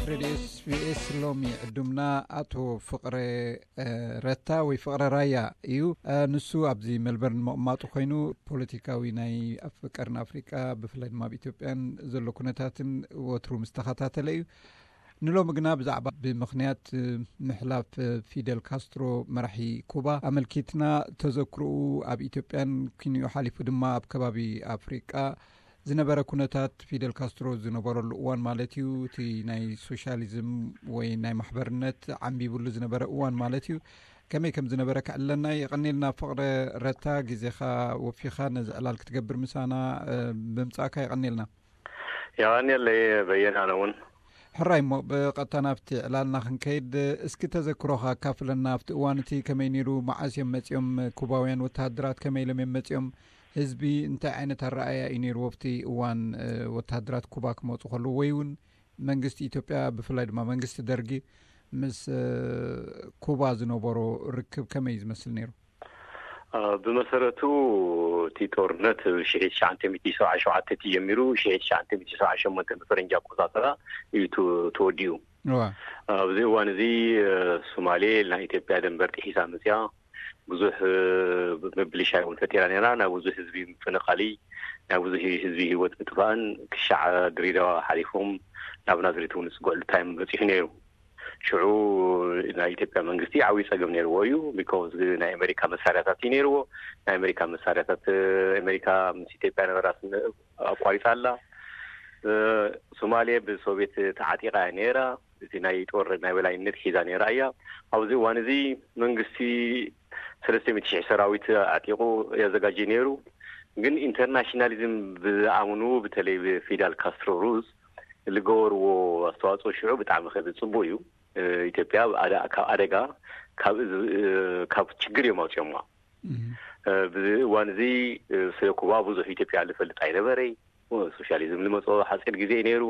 ሬድዮ ኤስቢኤስ ሎሚ ዕዱምና ኣቶ ፍቕረ ረታ ወይ ፍቕረ ራያ እዩ። ንሱ ኣብዚ ሜልበርን መቕማጡ ኮይኑ ፖለቲካዊ ናይ ኣፍ ቀርን ኣፍሪቃ ብፍላይ ድማ ኣብ ኢትዮጵያን ዘሎ ኩነታትን ወትሩ ምስ ተኸታተለ እዩ። ንሎሚ ግና ብዛዕባ ብምኽንያት ምሕላፍ ፊደል ካስትሮ መራሒ ኩባ ኣመልኪትና ተዘክርኡ ኣብ ኢትዮጵያን ኪንኡ ሓሊፉ ድማ ኣብ ከባቢ ኣፍሪቃ ዝነበረ ኩነታት ፊደል ካስትሮ ዝነበረሉ እዋን ማለት እዩ። እቲ ናይ ሶሻሊዝም ወይ ናይ ማሕበርነት ዓንቢብሉ ዝነበረ እዋን ማለት እዩ። ከመይ ከም ዝነበረ ክዕለና የቐኔልና ፍቕረ ረታ፣ ግዜኻ ወፊኻ ነዚ ዕላል ክትገብር ምሳና ብምጻእካ የቐኔልና። የቐኔለይ በየነ። ኣነ እውን ሕራይ እሞ ብቐጥታ ናብቲ ዕላልና ክንከይድ፣ እስኪ ተዘክሮኻ ኣካፍለና። ኣብቲ እዋን እቲ ከመይ ነይሩ? መዓስ እዮም መጺኦም? ኩባውያን ወተሃደራት ከመይ ኢሎም እዮም መጺኦም? ህዝቢ እንታይ ዓይነት ኣረኣያ እዩ ነይርዎ ኣብቲ እዋን ወተሃደራት ኩባ ክመፁ ከለዉ ወይ እውን መንግስቲ ኢትዮጵያ ብፍላይ ድማ መንግስቲ ደርጊ ምስ ኩባ ዝነበሮ ርክብ ከመይ እዩ ዝመስል ነይሩ? ብመሰረቱ እቲ ጦርነት ሺሕ ትሽዓተ ሚእቲ ሰብዓ ሸውዓተ ተጀሚሩ ሺሕ ትሽዓተ ሚእቲ ሰብዓ ሸሞንተ ብፈረንጂ ኣቆፃፅራ እዩ ተወዲኡ። ኣብዚ እዋን እዚ ሶማሌ ናይ ኢትዮጵያ ደንበር ጥሒሳ መፅያ ብዙሕ ምብልሻይ እውን ፈጢራ ነይራ። ናይ ብዙሕ ህዝቢ ምፍንቓሊ፣ ናይ ብዙሕ ህዝቢ ህይወት ምጥፋእን ክሻዕ ድሬዳዋ ሓሊፎም ናብ ናዝሬት እውን ዝፅግዕሉ ታይም በፂሑ ነይሩ። ሽዑ ናይ ኢትዮጵያ መንግስቲ ዓብዪ ፀገም ነይርዎ እዩ። ቢኮዝ ናይ ኣሜሪካ መሳርያታት እዩ ነይርዎ። ናይ ኣሜሪካ መሳርያታት፣ ኣሜሪካ ምስ ኢትዮጵያ ነበራ ኣቋሪፃ ኣላ። ሶማሌ ብሶቪየት ተዓጢቃ እያ ነይራ። እቲ ናይ ጦር ናይ በላይነት ሒዛ ነይራ እያ። ኣብዚ እዋን እዚ መንግስቲ ሰለስተ ሚእቲ ሺሕ ሰራዊት ኣዕጢቑ የዘጋጀ ነይሩ። ግን ኢንተርናሽናሊዝም ብዝኣምኑ፣ በተለይ ብፊዳል ካስትሮ ሩዝ ዝገበርዎ ኣስተዋፅኦ ሽዑ ብጣዕሚ ከዚ ፅቡቅ እዩ። ኢትዮጵያ ካብ ኣደጋ ካብ ችግር እዮም ኣውፅኦምዋ። ብዚ እዋን እዚ ስለ ኩባ ብዙሕ ኢትዮጵያ ዝፈልጥ ኣይነበረይ። ሶሻሊዝም ዝመፅኦ ሓፂር ግዜ እዩ ነይሩ።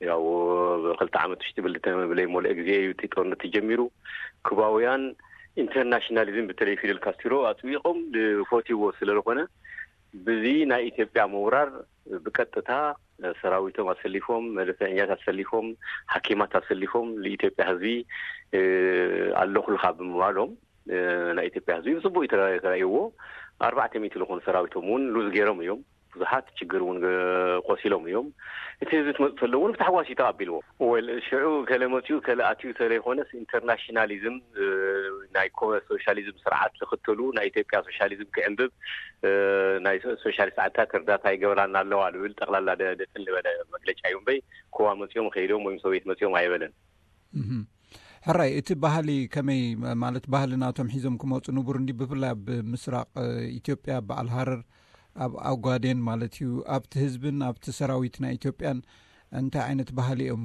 ያው ብክልተ ዓመት ውሽጢ ብልተ ብለይ ሞልአ ግዜ እዩ እቲ ጦርነት ተጀሚሩ። ኩባውያን ኢንተርናሽናሊዝም በተለይ ፊደል ካስትሮ ኣፅቢቆም ዝፈትይዎ ስለዝኾነ ብዚ ናይ ኢትዮጵያ ምውራር ብቀጥታ ሰራዊቶም ኣሰሊፎም፣ መደፈኛት ኣሰሊፎም፣ ሓኪማት ኣሰሊፎም ንኢትዮጵያ ህዝቢ ኣለኹልካ ብምባሎም ናይ ኢትዮጵያ ህዝቢ ብፅቡቅ ተራእይዎ። ኣርባዕተ ሚእቲ ዝኾኑ ሰራዊቶም እውን ሉዝ ገይሮም እዮም። ብዙሓት ችግር እውን ቆሲሎም እዮም። እቲ ህዝቢ ትመፅእ ተሎ እውን ብታሕጓስ እዩ ተቐቢልዎ። ወል ሽዑ ከለ መፅኡ ከለ ኣትዩ ተለይኮነስ ኢንተርናሽናሊዝም ናይ ሶሻሊዝም ስርዓት ዝኽተሉ ናይ ኢትዮጵያ ሶሻሊዝም ክዕንብብ ናይ ሶሻሊስት ዓድታት እርዳታ ይገብራና ኣለዋ ዝብል ጠቕላላ ደጥል ዝበለ መግለጫ እዩ እምበይ ኮዋ መፅኦም ከይዶም ወይም ሶቪየት መፅኦም ኣይበለን። ሕራይ እቲ ባህሊ ከመይ ማለት ባህሊ ናቶም ሒዞም ክመፁ ንቡር እንዲ ብፍላይ ኣብ ምስራቅ ኢትዮጵያ በዓል ሃረር ኣብ ኣጓዴን ማለት እዩ ኣብቲ ህዝብን ኣብቲ ሰራዊት ናይ ኢትዮጵያን እንታይ ዓይነት ባህሊ እዮም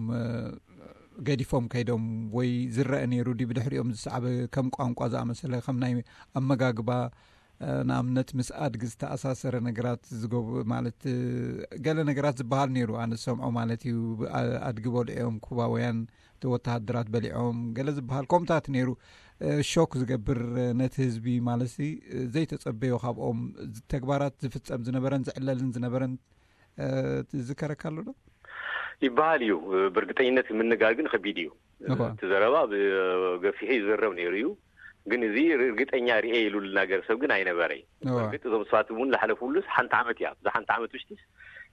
ገዲፎም ከይዶም ወይ ዝረአ ነይሩ ዲ ብድሕሪኦም ዝሰዓበ ከም ቋንቋ ዝኣመሰለ ከም ናይ ኣመጋግባ ንኣብነት ምስ ኣድጊ ዝተኣሳሰረ ነገራት ዝገብ ማለት ገለ ነገራት ዝበሃል ነይሩ ኣነ ዝሰምዖ ማለት እዩ። ኣድጊ በልዑ እዮም ኩባውያን ወተሃደራት በሊዖም ገለ ዝበሃል ከምኡታት ነይሩ። ሾክ ዝገብር ነቲ ህዝቢ ማለት ዘይተፀበዮ ካብኦም ተግባራት ዝፍፀም ዝነበረን ዝዕለልን ዝነበረን ዝከረካ ኣሎ ዶ? ይበሃል እዩ። ብእርግጠኝነት ምንጋር ግን ከቢድ እዩ። እቲ ዘረባ ገፊሑ ይዘረብ ነይሩ እዩ። ግን እዚ እርግጠኛ ርኤ ኢሉ ልናገር ሰብ ግን ኣይነበረይ። እርግጥ እዞም ሰባት እውን ዝሓለፉሉስ ሓንቲ ዓመት እያ። እዛ ሓንቲ ዓመት ውሽጢስ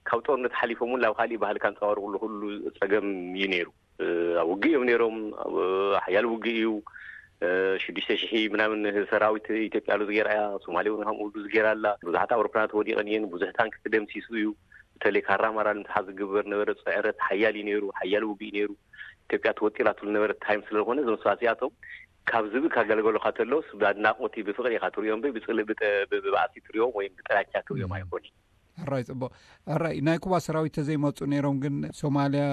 ካብ ጦርነት ሓሊፎም እውን ናብ ካሊእ ባህሊ ካንፀባርቁሉ ኩሉ ፀገም እዩ ነይሩ። ኣብ ውግእ እዮም ነይሮም። ሓያል ውግእ እዩ። ሽዱሽተ ሽሕ ምናምን ሰራዊት ኢትዮጵያ ሉዝ ገይራ እያ። ሶማሌ እውን ከምኡ ሉዝ ገይራ ኣላ። ብዙሓት ኣውሮፕላናት ወዲቐን እየን። ብዙሕ ታንክ ተደምሲሱ እዩ። በተለይ ካራማራ ንምትሓዝ ዝግበር ነበረ ፅዕረት ሓያል እዩ ነይሩ። ሓያል ውግእ እዩ ነይሩ። ኢትዮጵያ ተወጢራትሉ ነበረ ታይም ስለዝኾነ እዞም ሰባት እዚኣቶም ካብ ዝብእ ካገልገሉካ ተለውስ ብኣድናቆት ብፍቅሪ ኢካ ትሪኦም። ብባእሲ ትሪኦም ወይም ብጥላቻ ትሪኦም ኣይኮን። ሕራይ ፅቡቅ። ሕራይ ናይ ኩባ ሰራዊት ተዘይመፁ ነይሮም ግን ሶማልያ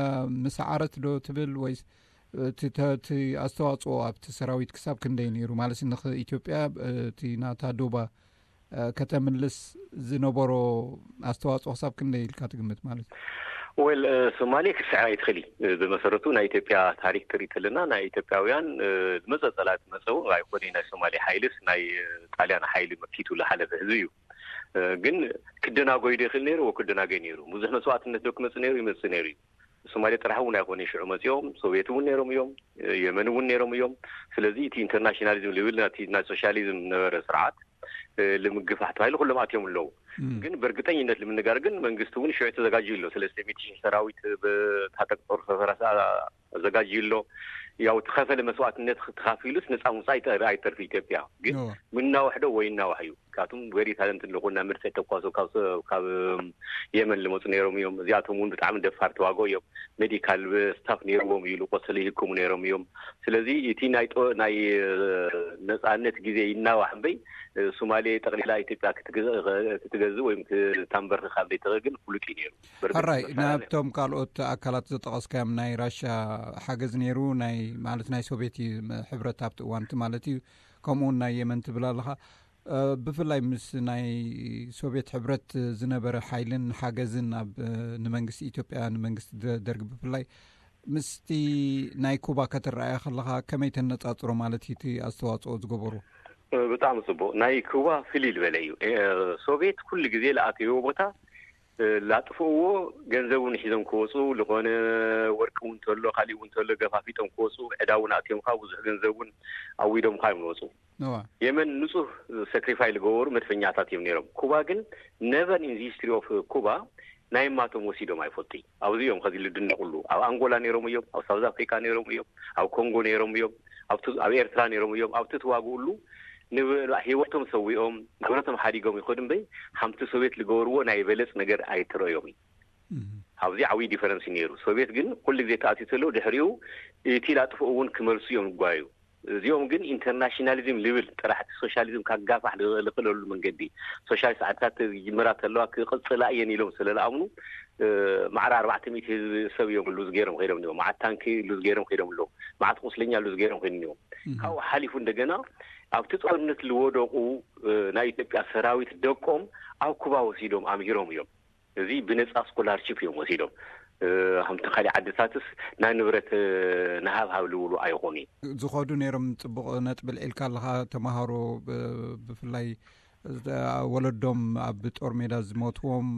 ምሰዓረት ዶ ትብል ወይስ እቲ ኣስተዋፅኦ ኣብቲ ሰራዊት ክሳብ ክንደይ ነይሩ ማለት ንኢትዮጵያ እቲ ናታ ዶባ ከተምልስ ዝነበሮ ኣስተዋፅኦ ክሳብ ክንደይ ኢልካ ትግምት ማለት እዩ? ወል ሶማሌ ክትስዕር ኣይትኽእል እዩ። ብመሰረቱ ናይ ኢትዮጵያ ታሪክ ትርኢ ተለና ናይ ኢትዮጵያውያን ዝመፀ ፀላት መፀው ኣይኮነ ናይ ሶማሌ ሓይልስ ናይ ጣልያን ሓይሊ መኪቱ ዝሓለፈ ህዝቢ እዩ። ግን ክደናጎይ ዶ ይኽእል ነይሩ? ክደናጎይ ነይሩ። ብዙሕ መስዋዕትነት ዶ ክመፅእ ነይሩ? ይመፅእ ነይሩ እዩ። ሶማሌ ጥራሕ እውን ኣይኮነ ሽዑ መፂኦም፣ ሶቪየት እውን ነይሮም እዮም፣ የመን እውን ነይሮም እዮም። ስለዚ እቲ ኢንተርናሽናሊዝም ልብል ናቲ ናይ ሶሻሊዝም ነበረ ስርዓት ልምግፋሕ ተባሂሉ ኩሎም ኣትዮም ኣለዉ። ግን ብእርግጠኝነት ንምንጋር ግን መንግስቲ እውን ሽዑ ተዘጋጅዩ ኣሎ። ሰለስተ ሚእቲ ሺህ ሰራዊት ብታጠቅ ጦር ሰፈራ ኣዘጋጅዩ ኣሎ። ያው ተኸፈለ መስዋዕትነት ተኻፊሉስ ነፃ ምውፃእ ኣይተርፊ ኢትዮጵያ። ግን ምናዋሕ ዶ ወይ እናዋሕ እዩ። ካብቶም ቨሪ ታለንት ኣለኹ እና መድፍዕ ተኳሶ ካብ የመን ልመፁ ነይሮም እዮም። እዚኣቶም እውን ብጣዕሚ ደፋር ተዋጎ እዮም። ሜዲካል ስታፍ ነይርዎም እዩ፣ ቆሰለ ይህክሙ ነይሮም እዮም። ስለዚ እቲ ናይ ናይ ነፃነት ግዜ ይናዋሕ እምበይ ሶማሌ ጠቅሊላ ኢትዮጵያ ክትገዝእ ወይም ክታንበርክ ካብ ዘይትኽእል ግን ፍሉጥ እዩ ነይሩ። ሕራይ ናብቶም ካልኦት ኣካላት ዘጠቀስካዮም ናይ ራሻ ሓገዝ ነይሩ፣ ናይ ማለት ናይ ሶቪየት ሕብረት ኣብቲ እዋንቲ ማለት እዩ። ከምኡውን ናይ የመን ትብል ኣለኻ። ብፍላይ ምስ ናይ ሶቪየት ሕብረት ዝነበረ ሓይልን ሓገዝን ኣብ ንመንግስቲ ኢትዮጵያ ንመንግስቲ ደርግ ብፍላይ ምስቲ ናይ ኩባ ከተረኣያ ከለኻ ከመይ ተነጻጽሮ ማለት እቲ ኣስተዋጽኦ ዝገበሩ? ብጣዕሚ ጽቡቅ። ናይ ኩባ ፍልይ ዝበለ እዩ። ሶቪየት ኩሉ ግዜ ለኣተይዎ ቦታ ላጥፍእዎ ገንዘብ እውን ሒዞም ክወፁ ዝኾነ ወርቂ እውን ተሎ ካሊእ እውን ተሎ ገፋፊጦም ክወፁ ዕዳ እውን ኣትዮም ከዓ ብዙሕ ገንዘብ እውን ኣዊዶም ከዓ እዮም ዝወፁ። የመን ንፁህ ሰክሪፋይ ዝገበሩ መድፈኛታት እዮም ነይሮም። ኩባ ግን ነቨር ኢን ሂስትሪ ኦፍ ኩባ ናይ ማቶም ወሲዶም ኣይፈልጡ። ኣብዚ እዮም ከዚ ልድነቁሉ። ኣብ ኣንጎላ ነይሮም እዮም፣ ኣብ ሳውዝ ኣፍሪካ ነይሮም እዮም፣ ኣብ ኮንጎ ነይሮም እዮም፣ ኣብ ኤርትራ ነይሮም እዮም። ኣብቲ ተዋግኡሉ ህይወቶም ሰዊኦም ንብረቶም ሓዲጎም ይኸዱ እምበይ ሓምቲ ሶቪየት ዝገበርዎ ናይ በለፅ ነገር ኣይትረዮም እዩ። ኣብዚ ዓብዪ ዲፈረንስ ነይሩ። ሶቪየት ግን ኩሉ ግዜ ተኣትዩ ተለው ድሕሪኡ እቲ ላጥፍኡ እውን ክመልሱ እዮም ዝጓዩ። እዚኦም ግን ኢንተርናሽናሊዝም ልብል ጥራሕ እቲ ሶሻሊዝም ካጋፋሕ ዝኽእለሉ መንገዲ ሶሻሊስት ዓድታት ይጅምራ ተለዋ ክቕፅላ እየን ኢሎም ስለ ዝኣምኑ ማዕረ ኣርባዕተ ሚእቲ ህዝቢ ሰብ እዮም ሉዝ ገይሮም ከይዶም እዮም። መዓት ታንኪ ሉዝ ገይሮም ከይዶም ኣለዉ። መዓት ቁስለኛ ሉዝ ገይሮም ከይዶም እዮም። ካብኡ ሓሊፉ እንደገና ኣብቲ ጦርነት ዝወደቁ ናይ ኢትዮጵያ ሰራዊት ደቆም ኣብ ኩባ ወሲዶም ኣምሂሮም እዮም። እዚ ብነፃ ስኮላርሽፕ እዮም ወሲዶም። ከምቲ ካሊእ ዓድታትስ ናይ ንብረት ንሃብሃብ ዝብሉ ኣይኾኑ። ዝኸዱ ነይሮም። ፅቡቕ ነጥቢ ልዒልካ ኣለኻ። ተምሃሮ ብፍላይ ወለዶም ኣብ ጦር ሜዳ ዝሞትዎም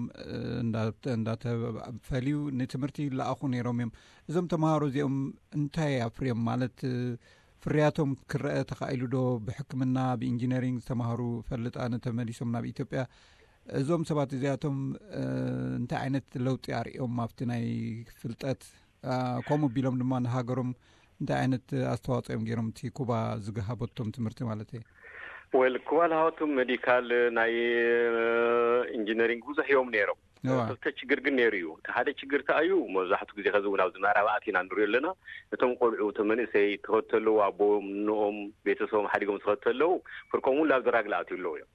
እንዳተፈልዩ ንትምህርቲ ይለኣኹ ነይሮም እዮም። እዞም ተምሃሮ እዚኦም እንታይ ኣፍርዮም ማለት ፍርያቶም ክረአ ተኻኢሉ ዶ? ብሕክምና ብኢንጂነሪንግ ዝተማሃሩ ፈልጣን ተመሊሶም ናብ ኢትዮጵያ እዞም ሰባት እዚኣቶም እንታይ ዓይነት ለውጢ ኣርእዮም ኣብቲ ናይ ፍልጠት? ከምኡ ቢሎም ድማ ንሃገሮም እንታይ ዓይነት ኣስተዋፅኦ እዮም ገይሮም እቲ ኩባ ዝገሃበቶም ትምህርቲ ማለት እየ? ወል ኩባ ዝሃበቶም ሜዲካል ናይ ኢንጂነሪንግ ብዙሕ እዮም ነይሮም። ክልተ ችግር ግን ነይሩ እዩ። እቲ ሓደ ችግር ተኣዩ መብዛሕቱ ግዜ ከዚ እውን ኣብዚ ምዕራብ ኣቲና ንሪኦ ኣለና። እቶም ቆልዑ እቶም መንእሰይ ትኸዱ ተለዉ ኣቦም ንኦም ቤተሰቦም ሓዲጎም ዝኸዱ ተለዉ ፍርቆም እውን ላብ ድራግ ለኣትዩ ኣለዉ እዮም።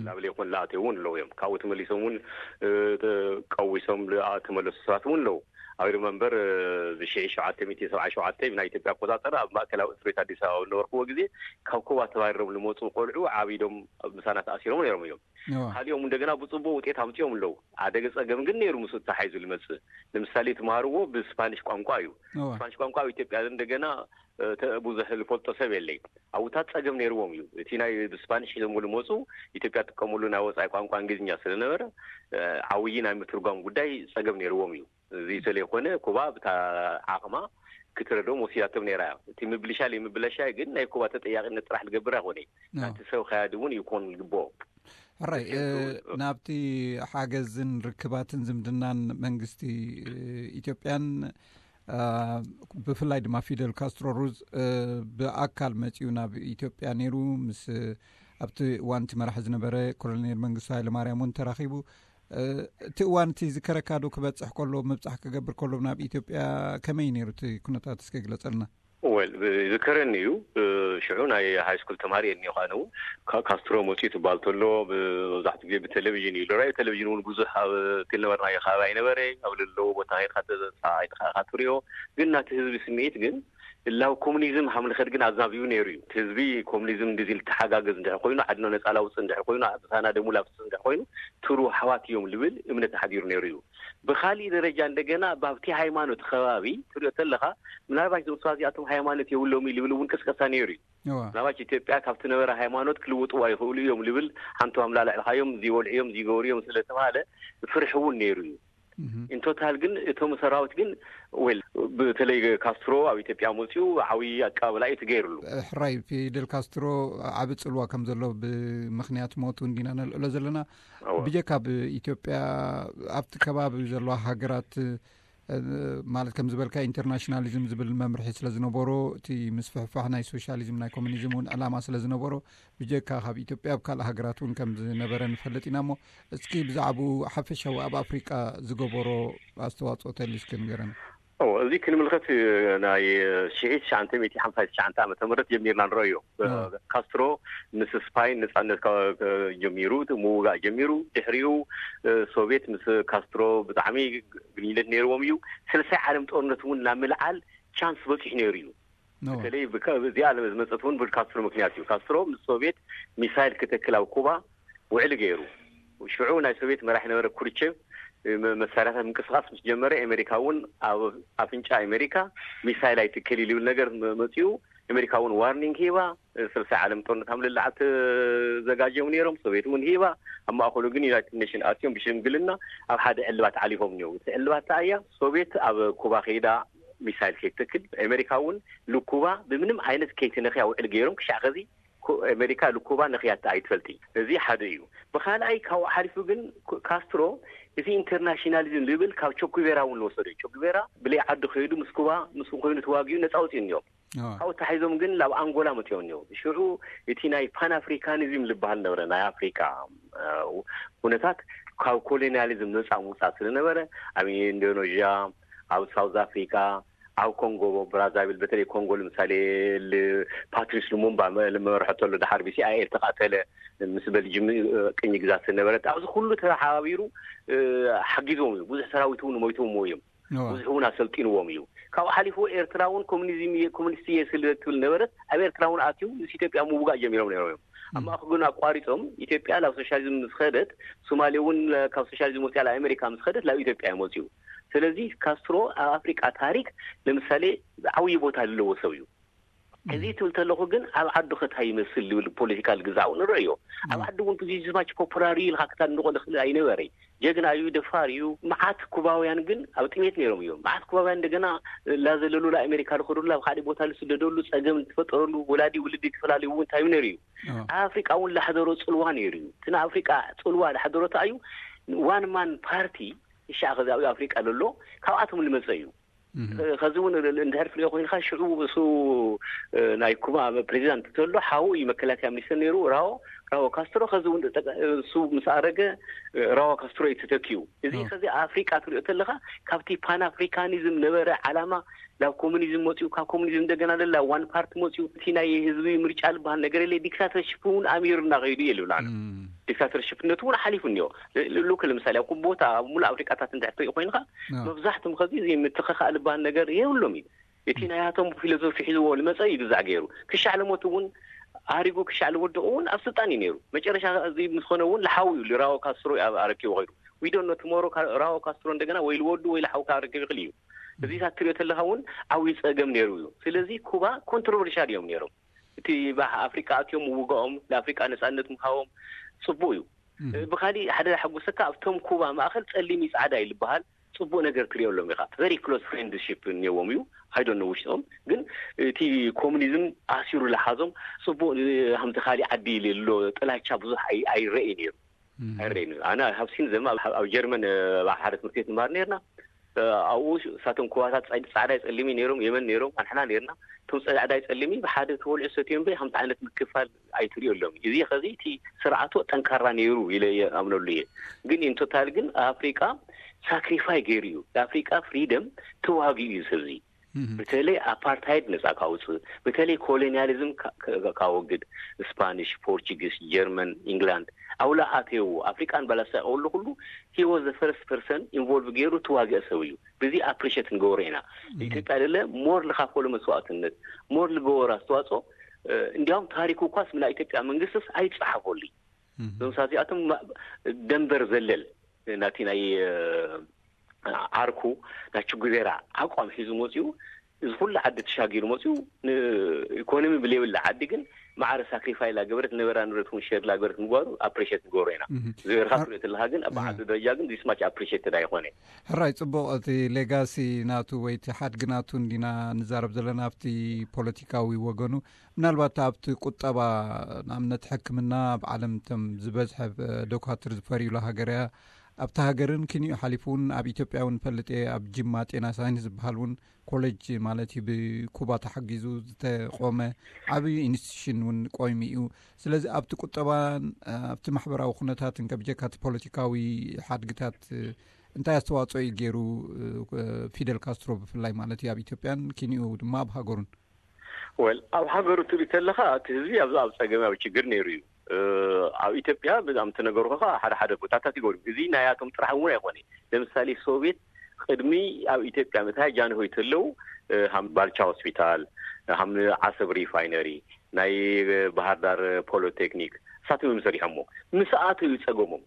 ላብ ሌኮን ለኣትዩ እውን ኣለዉ እዮም። ካብኡ ተመሊሶም እውን ቀዊሶም ተመለሱ ሰባት እውን ኣለዉ። ኣብ ሪመንበር እዚ ሽዒ ሸውዓተ ሚእቲ ሰብዓ ሸውዓተ ናይ ኢትዮጵያ ኣቆፃፀር ኣብ ማእከላዊ እስር ቤት ኣዲስ ኣበባ ዝነበርክዎ ግዜ ካብ ኮባ ተባሪሮም ዝመፁ ቆልዑ ዓቢዶም ምሳና ተኣሲሮም ነይሮም እዮም። ካሊኦም እንደገና ብፅቡቅ ውጤት ኣምፅኦም ኣለዉ። ኣደገ ፀገም ግን ነይሩ ምስ ተሓይዙ ዝመፅእ። ንምሳሌ ትምሃርዎ ብስፓኒሽ ቋንቋ እዩ። ስፓኒሽ ቋንቋ ኣብ ኢትዮጵያ እንደገና ብዙሕ ዝፈልጦ ሰብ የለይ። ኣብታት ፀገም ነይርዎም እዩ። እቲ ናይ ብስፓኒሽ ሒዞምዎ ዝመፁ ኢትዮጵያ ትጥቀመሉ ናይ ወፃኢ ቋንቋ እንግሊዝኛ ስለነበረ ዓብዪ ናይ ምትርጓም ጉዳይ ፀገም ነይርዎም እዩ። እዚ ተለይኮነ ኩባ ብታ ዓቕማ ክትረድኦም ወሲዳቶም ነይራ እያ። እቲ ምብልሻ ለይምብለሻ ግን ናይ ኩባ ተጠያቂነት ጥራሕ ዝገብር ኣይኮነ። ናቲ ሰብ ከያድ እውን ይኮን ዝግብኦ። ሕራይ ናብቲ ሓገዝን ርክባትን ዝምድናን መንግስቲ ኢትዮጵያን ብፍላይ ድማ ፊደል ካስትሮ ሩዝ ብኣካል መፂኡ ናብ ኢትዮጵያ ነይሩ። ምስ ኣብቲ እዋንቲ መራሒ ዝነበረ ኮሎኔል መንግስቱ ሃይለማርያም እውን ተራኺቡ። እቲ እዋን እቲ ዝከረካ ዶ ክበፅሕ ከሎ ምብፃሕ ክገብር ከሎ ናብ ኢትዮጵያ ከመይ ነይሩ እቲ ኩነታት እስከ ግለፀልና? ወል ዝከረኒ እዩ። ሽዑ ናይ ሃይ ስኩል ተማሪ እየ እኒኦ። ካስትሮ መፅኡ ትባል ተሎ መብዛሕትኡ ግዜ ብቴሌቪዥን እዩ ዝረኣዩ። ቴሌቪዥን እውን ብዙሕ ኣብ እቲ ዝነበርናዮ ከባቢ ኣይነበረ። ኣብ ለለዎ ቦታ ከይድካ ተፃኢትካ ኢኻ ትሪኦ። ግን ናቲ ህዝቢ ስምዒት ግን ላብ ኮሙኒዝም ሃምልኸት ግን ኣዛቢቡ ነይሩ እዩ። እቲ ህዝቢ ኮሙኒዝም እንደዚ ልተሓጋገዝ እንድሕር ኮይኑ ዓድና ነፃ ላውፅእ እንድሕር ኮይኑ ምሳና ደሙ ላፍስስ እንድሕር ኮይኑ ትሩ ኣሕዋት እዮም ልብል እምነት ኣሕዲሩ ነይሩ እዩ። ብካሊእ ደረጃ እንደገና ባብቲ ሃይማኖት ከባቢ ትሪኦ ተለካ ምናልባት እዞም ሰባት እዚኣቶም ሃይማኖት የብሎም እዩ ልብል እውን ቅስቀሳ ነይሩ እዩ። ምናልባት ኢትዮጵያ ካብቲ ነበረ ሃይማኖት ክልውጥዋ ይኽእሉ እዮም ልብል ሓንቶም ኣላልዕልካዮም ዝወልዕዮም ዝገብርዮም ስለተባሃለ ፍርሒ እውን ነይሩ እዩ። ኢንቶታል ግን እቶም ሰራዊት ግን ወል ብተለይ ካስትሮ ኣብ ኢትዮጵያ መፅኡ ዓብዪ ኣቀባበላ እዩ ትገይርሉ። ሕራይ ፊደል ካስትሮ ዓቢ ጽልዋ ከም ዘሎ ብምኽንያት ሞቱ እንዲና ነልዕሎ ዘለና። ብጀካ ኣብ ኢትዮጵያ ኣብቲ ከባቢ ዘለዋ ሃገራት ማለት ከም ዝበልካ ኢንተርናሽናሊዝም ዝብል መምርሒ ስለ ዝነበሮ፣ እቲ ምስፍሕፋሕ ናይ ሶሻሊዝም ናይ ኮሚኒዝም እውን ዕላማ ስለ ዝነበሮ፣ ብጀካ ካብ ኢትዮጵያ ኣብ ካልእ ሃገራት እውን ከም ዝነበረ ንፈልጥ ኢና። እሞ እስኪ ብዛዕባኡ ሓፈሻዊ ኣብ ኣፍሪቃ ዝገበሮ ኣስተዋፅኦ ተሊስኪ ንገረና። እዚ ክንምልከት ናይ ሽዒ ትሽዓተ ሚእቲ ሓምሳ ትሽዓተ ዓመተ ምህረት ጀሚርና ንረእዮ። ካስትሮ ምስ ስፓይን ነፃነት ጀሚሩ፣ ምውጋእ ጀሚሩ። ድሕሪኡ ሶቪየት ምስ ካስትሮ ብጣዕሚ ግንኙነት ነይርዎም እዩ። ስልሳይ ዓለም ጦርነት እውን ናብ ምልዓል ቻንስ በፂሑ ነይሩ እዩ። በተለይ እዚኣ ዝመፀት እውን ብካስትሮ ምክንያት እዩ። ካስትሮ ምስ ሶቪየት ሚሳይል ክተክል ኣብ ኩባ ውዕሊ ገይሩ። ሽዑ ናይ ሶቪየት መራሒ ነበረ ኩርቸቭ መሳርያታት ምንቅስቃስ ምስ ጀመረ፣ ኣሜሪካ እውን ኣብ ኣፍንጫ ኣሜሪካ ሚሳይል ኣይትከል ኢሉ ይብል ነገር መፅኡ። ኣሜሪካ እውን ዋርኒንግ ሂባ። ስልሳይ ዓለም ጦርነት ኣብ ልልዓት ተዘጋጀዮም ነይሮም። ሶቪየት እውን ሂባ። ኣብ ማእከሉ ግን ዩናይትድ ኔሽን ኣትዮም ብሽምግልና ኣብ ሓደ ዕልባት ዓሊፎም እኒው። እቲ ዕልባት ተኣያ ሶቪየት ኣብ ኩባ ከይዳ ሚሳይል ከይትተክል፣ ኣሜሪካ እውን ልኩባ ብምንም ዓይነት ከይትነኽያ ውዕል ገይሮም። ክሻዕ ከዚ ኣሜሪካ ልኩባ ነኽያታ ኣይትፈልጢ። እዚ ሓደ እዩ። ብካልኣይ ካብኡ ሓሊፉ ግን ካስትሮ እዚ ኢንተርናሽናሊዝም ዝብል ካብ ቸኩቬራ እውን ዝወሰደ እዩ። ቸኩቬራ ብለይ ዓዲ ከይዱ ምስ ኩባ ምስ ኮይኑ ተዋጊኡ ነፃ ወፂኡ እኒኦም። ካብኡ ተታሒዞም ግን ናብ ኣንጎላ መፅኦም እኒኦም። ሽዑ እቲ ናይ ፓን ኣፍሪካኒዝም ዝበሃል ነበረ። ናይ ኣፍሪካ ኩነታት ካብ ኮሎኒያሊዝም ነፃ ምውፃእ ስለነበረ ኣብ ኢንዶኔዥያ፣ ኣብ ሳውዝ ኣፍሪካ፣ ኣብ ኮንጎ ብራዛቪል፣ በተለይ ኮንጎ ንምሳሌ ፓትሪስ ሉሙምባ መርሖ ተሎ፣ ድሓር ብሲኣይኤ ተቃተለ፣ ምስ በልጅም ቅኝ ግዛት ነበረት። ኣብዚ ኩሉ ተሓባቢሩ ሓጊዞም እዩ። ብዙሕ ሰራዊት እውን ሞይቶም እዮም። ብዙሕ እውን ኣሰልጢንዎም እዩ። ካብኡ ሓሊፉ ኤርትራ እውን ኮሚኒዝም እየ፣ ኮሚኒስት እየ ስለ ትብል ነበረት። ኣብ ኤርትራ እውን ኣትዩ ምስ ኢትዮጵያ ምውጋእ ጀሚሮም ነይሮም እዮም። ኣብ ማእከል ግን ኣቋሪጾም። ኢትዮጵያ ናብ ሶሻሊዝም ምስ ኸደት፣ ሶማሌ እውን ካብ ሶሻሊዝም ወፂኣ ናብ ኣሜሪካ ምስ ኸደት ናብ ኢትዮጵያ እዮም ወፂኡ። ስለዚ ካስትሮ ኣብ ኣፍሪቃ ታሪክ ንምሳሌ ዓብዪ ቦታ ዘለዎ ሰብ እዩ። እዚ ትብል ተለኹ ግን ኣብ ዓዱ ከታይ ይመስል ዝብል ፖለቲካል ግዛዕ እውን ንርእዮ። ኣብ ዓዲ እውን ብዙሕ ዝማች ፖፑላሪ ኢልካ ክታንቆ ዝኽእል ኣይነበረ። ጀግና እዩ፣ ደፋር እዩ። መዓት ኩባውያን ግን ኣብ ጥሜት ነይሮም እዮም። መዓት ኩባውያን እንደገና ላዘለሉ ላኣሜሪካ ዝኸዱሉ፣ ኣብ ካልእ ቦታ ዝስደደሉ፣ ጸገም ዝፈጠረሉ፣ ወላዲ ውልዲ ተፈላለዩ እውን እንታይ ነይሩ እዩ። ኣብ ኣፍሪቃ እውን ላሕደሮ ጽልዋ ነይሩ እዩ። እቲ ንኣፍሪቃ ጽልዋ ላሕደሮ እንታይ እዩ? ዋን ማን ፓርቲ እሻ ከዚ ኣብ ኣፍሪቃ ዘሎ ካብኣቶም ዝመጸ እዩ። ከዚ እውን እንድሕር ትሪኦ ኮይንካ ሽዑ እሱ ናይ ኩባ ፕሬዚዳንት ተሎ ሓው እዩ መከላከያ ሚኒስትር ነይሩ ራዎ ራዎ ካስትሮ። ከዚ እውን እሱ ምስ ኣረገ ራዎ ካስትሮ እዩ ተተኪዩ። እዚ ከዚ ኣፍሪቃ ትሪኦ ተለካ ካብቲ ፓን ኣፍሪካኒዝም ነበረ ዓላማ ናብ ኮሙኒዝም መፅኡ፣ ካብ ኮሙኒዝም እንደገና ለላ ዋን ፓርቲ መፅኡ። እቲ ናይ ህዝቢ ምርጫ ዝበሃል ነገር የለ። ዲክታተርሽፕ እውን ኣሚሩ እናኸይዱ እየ ልብል ኣነ። ዲክታተርሽፕነቱ እውን ሓሊፉ እኒኦ። ሉክ ለምሳሌ ኣብ ቦታ ኣብ ሙሉእ ኣፍሪቃታት እንድሕር ትሪኢ ኮይንካ መብዛሕትም ከዚ እዚ ምትኸኻእ ዝበሃል ነገር የብሎም እዩ። እቲ ናይሃቶም ፊሎዞፊ ሒዝዎ ዝመፀ እዩ ግዛዕ ገይሩ። ክሻዕ ለሞት እውን ኣሪጉ ክሻዕ ዝወደቑ እውን ኣብ ስልጣን እዩ ነይሩ። መጨረሻ እዚ ምስ ኮነ እውን ልሓው እዩ ልራዎ ካስትሮ ኣብ ኣረኪቡ ከይዱ። ዊዶኖ ትሞሮ ራዎ ካስትሮ እንደገና ወይ ልወዱ ወይ ልሓው ካረክብ ይኽእል እዩ። እዚታት ትሪኦ ተለካ እውን ዓብዪ ፀገም ነይሩ እዩ። ስለዚ ኩባ ኮንትሮቨርሻል እዮም ነይሮም። እቲ ባህ ኣፍሪቃ ኣትዮም ምውጋኦም ንኣፍሪቃ ነፃነት ምሃቦም ፅቡቅ እዩ። ብካሊእ ሓደ ሓጎሰካ ኣብቶም ኩባ ማእኸል ፀሊም እዩ ፃዕዳ እዩ ዝበሃል ፅቡቅ ነገር ትሪኦ ኣሎም ኢኻ። ቨሪ ክሎዝ ፍሬንድሽፕ እኒዎም እዩ። ኣይዶን ውሽጦም ግን እቲ ኮሙኒዝም ኣሲሩ ዝሓዞም ፅቡቅ ከምቲ ካሊእ ዓዲ ዘሎ ጥላቻ ብዙሕ ኣይረእይ ነይሩ። ኣይረእይ ነይሩ። ኣነ ሃብሲን ዘማ ኣብ ጀርመን ኣብ ሓደ ትምህርቲ ቤት ንማር ነርና። ኣብኡ እሳቶም ኩባታት ፃዕዳይ ፀሊሚ ነይሮም የመን ነይሮም ኣንሕና ነርና። እቶም ፃዕዳይ ፀሊሚ ብሓደ ተወልዑ ሰትዮም በይ ከምቲ ዓይነት ምክፋል ኣይትሪኦ ኣሎም። እዚ ከዚ እቲ ስርዓቱ ጠንካራ ነይሩ ኢለ ኣምነሉ እየ። ግን ኢንቶታል ግን ኣፍሪቃ ሳክሪፋይ ገይሩ እዩ። ንኣፍሪቃ ፍሪደም ተዋጊኡ እዩ ሰብዚ። በተለይ ኣፓርታይድ ነፃ ካውፅእ፣ በተለይ ኮሎኒያሊዝም ካወግድ፣ ስፓኒሽ፣ ፖርቹጊስ፣ ጀርመን፣ ኢንግላንድ ኣውላ ኣተየዎ ኣፍሪቃን ባላሳ ቀውሉ ኩሉ ሂወ ዘ ፈርስት ፐርሰን ኢንቮልቭ ገይሩ ተዋግአ ሰብ እዩ። ብዚ ኣፕሪሸት ንገብሮ ኢና። ኢትዮጵያ ደለ ሞር ልካፈሉ መስዋእትነት ሞር ልገበሩ ኣስተዋፅኦ። እንዲያውም ታሪኩ እኳስ ምና ኢትዮጵያ መንግስትስ ኣይፀሓፈሉ። እዞም ሳዚኣቶም ደንበር ዘለል ናቲ ናይ ዓርኩ ናይ ችጉቤራ ኣቋም ሒዙ መፅኡ። እዚ ኩሉ ዓዲ ተሻጊሩ መፅኡ ንኢኮኖሚ ብሌብል ዓዲ ግን ማዕረ ሳክሪፋይ ላገበረት ነበራ ንብረት እውን ሸር ላገበረት ምግባሩ ኣፕሬሽት ንገብሮ ኢና። ዝርካ ትሪኦ ተለካ ግን ኣብ ዓዲ ደረጃ ግን ዚስማች ኣፕሬሽትድ ኣይኮነ። ሕራይ፣ ጽቡቕ። እቲ ሌጋሲ ናቱ ወይ እቲ ሓድጊ ናቱ እንዲና ንዛረብ ዘለና ኣብቲ ፖለቲካዊ ወገኑ። ምናልባት ኣብቲ ቁጠባ፣ ንኣብነት ሕክምና ኣብ ዓለም እቶም ዝበዝሐ ዶኳትር ዝፈርዩላ ሃገር እያ። ኣብቲ ሃገርን ክንዩ ሓሊፉ እውን ኣብ ኢትዮጵያ እውን ፈልጥ እየ፣ ኣብ ጅማ ጤና ሳይንስ ዝበሃል እውን ኮሌጅ ማለት እዩ ብኩባ ተሓጊዙ ዝተቆመ ዓብዪ ኢንስቲትዩሽን እውን ቆይሙ እዩ። ስለዚ ኣብቲ ቁጠባን ኣብቲ ማሕበራዊ ኩነታትን ከብጀካ እቲ ፖለቲካዊ ሓድግታት እንታይ ኣስተዋፅኦ እዩ ገይሩ ፊደል ካስትሮ ብፍላይ ማለት እዩ ኣብ ኢትዮጵያን ኪንኡ ድማ ኣብ ሃገሩን? ወል ኣብ ሃገሩ ትርኢ ተለኻ እቲ ህዝቢ ኣብዚ ኣብ ፀገማዊ ችግር ነይሩ እዩ። ኣብ ኢትዮጵያ ብዛም ትነገርኩ ከዓ ሓደ ሓደ ቦታታት ይገሩ። እዚ ናያቶም ጥራሕ እውን ኣይኮነ። ለምሳሌ ሶቪየት ቅድሚ ኣብ ኢትዮጵያ ምእታይ ጃንሆይ ተለው ሃም ባልቻ ሆስፒታል፣ ሃም ዓሰብ ሪፋይነሪ፣ ናይ ባህር ዳር ፖሊቴክኒክ እሳቶም እዮም ሰሪሖሞ። ምስ ኣተው እዩ ፀገሞም።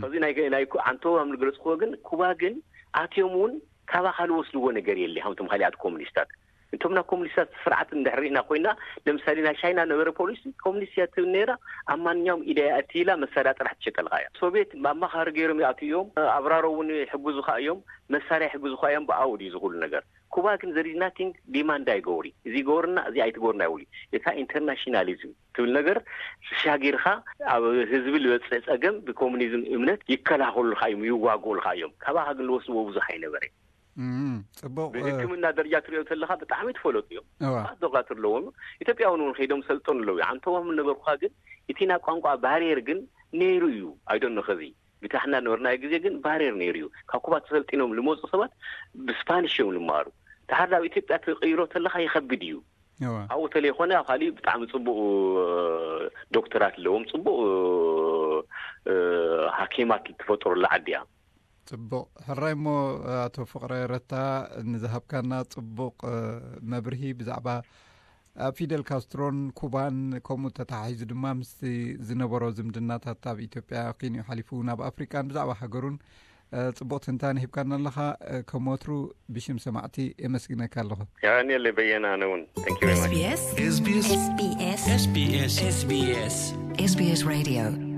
ከዚ ናይ ናይ ኣንተው ሃም ዝገለፅክዎ ግን ኩባ ግን ኣትዮም እውን ካባኻ ዝወስድዎ ነገር የለ። ሃምቶም ካሊኣት ኮሙኒስታት እንቶም ናብ ኮሙኒስታት ስርዓት እንድሕር ርኢና ኮይና፣ ለምሳሌ ናይ ቻይና ነበረ ፖሊሲ ኮሙኒስት እያ ትብል ነይራ። ኣብ ማንኛውም ኢደ እያ እትይላ መሳርያ ጥራሕ ትሸጠልካ እያ። ሶቪየት ኣማኻሪ ገይሮም ይኣትዩ እዮም። ኣብራሮ እውን ይሕግዙኻ እዮም። መሳርያ ይሕግዙኻ እዮም። ብኣኡ ድዩ ዝኹሉ ነገር? ኩባ ግን ዘሪዝ ናቲንግ ዲማንድ ኣይገብሪ። እዚ ይገብርና እዚ ኣይትገብርና ይብሉ። እታ ኢንተርናሽናሊዝም ትብል ነገር ተሻጊርካ ኣብ ህዝቢ ልበፅእ ፀገም ብኮሙኒዝም እምነት ይከላኸሉልካ እዮም፣ ይዋግኡልካ እዮም። ካባኻ ግን ልወስድዎ ብዙሕ ኣይነበረ። እም፣ ጽቡቕ። እ፣ ብሕክምና ደረጃ ትሪኦ ተለኻ ብጣዕሚ ትፈለጡ እዮም። እዋ። ብዙሓት ዶክተር ኣለዎም። ኢትዮጵያውን እውን ከይዶም ሰልጠኑ ኣለዉ። ኣንተዎም ነገርኩኻ ግን እቲ ናይ ቋንቋ ባሪየር ግን ነይሩ እዩ። ኣይዶኖ ከዚ ብታሕና ነበርናዮ ግዜ ግን ባሪየር ነይሩ እዩ። ካብ ኩባ ተሰልጢኖም ልመፁ ሰባት ብስፓኒሽ እዮም ልመሃሩ። ድሓር ናብ ኢትዮጵያ ትቕይሮ ተለኻ ይኸብድ እዩ። እዋ። ኣብኡ ተለይኮነ ኣብ ካሊእ ብጣዕሚ ፅቡቅ ዶክተራት ኣለዎም፣ ፅቡቅ እ፣ ሃኪማት ትፈጥረላ ዓዲ እያ። ጽቡቕ። ሕራይ እሞ ኣቶ ፍቕረ ረታ ንዝሃብካና ጽቡቕ እ፣ መብርሂ ብዛዕባ ኣብ ፊደል ካስትሮን ኩባን ከምኡ ተተሓሒዙ ድማ ምስቲ ዝነበሮ ዝምድናታት ኣብ ኢትዮጵያ ኪንኡ ሓሊፉ ናብ ኣፍሪቃን ብዛዕባ ሃገሩን እ፣ ጽቡቕ ትንታነ ሂብካና ኣለኻ። እ፣ ከም ወትሩ ብሽም ሰማዕቲ የመስግነካ ኣለኹ። የቐንየለይ በየነ፣ ኣነ እውን። Thank you very much። SBS SBS SBS SBS SBS SBS Radio